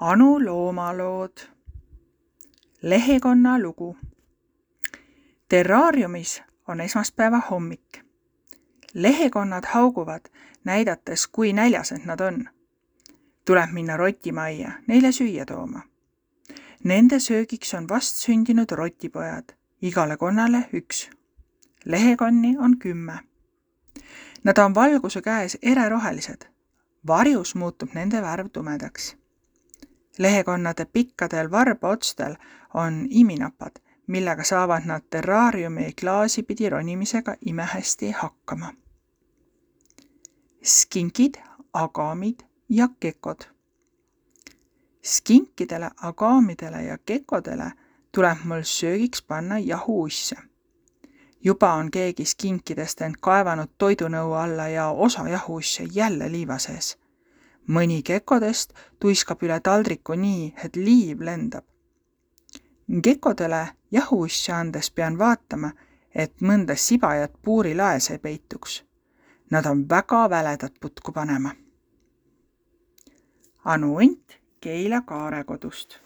Anu loomalood. Lehekonna lugu. Terraariumis on esmaspäeva hommik. Lehekonnad hauguvad, näidates, kui näljased nad on. Tuleb minna rotimajja, neile süüa tooma. Nende söögiks on vast sündinud rotipojad, igale konnale 1. Lehekonni on 10. Nad on valguse käes ererohelised. Varjus muutub nende värv tumedaks. Lehekonnade pikkadel varbaotstel on iminapad, millega saavad nad terraariumi klaasipidi ronimisega imehästi hakkama. Skinkid, agamid ja kekod. Skinkidele, agamidele ja kekodele tuleb mul söögiks panna jahuusse. Juba on keegi skinkidest end kaevanud toidunõu alla ja osa jahuusse jälle liiva sees. Mõni kekodest tuiskab üle taldriku nii, et liiv lendab. Kekodele jahuusse andes pean vaatama, et mõnda sibajat puurilaes ei peituks. Nad on väga väledad putku panema. Anu Unt Keila Kaare kodust.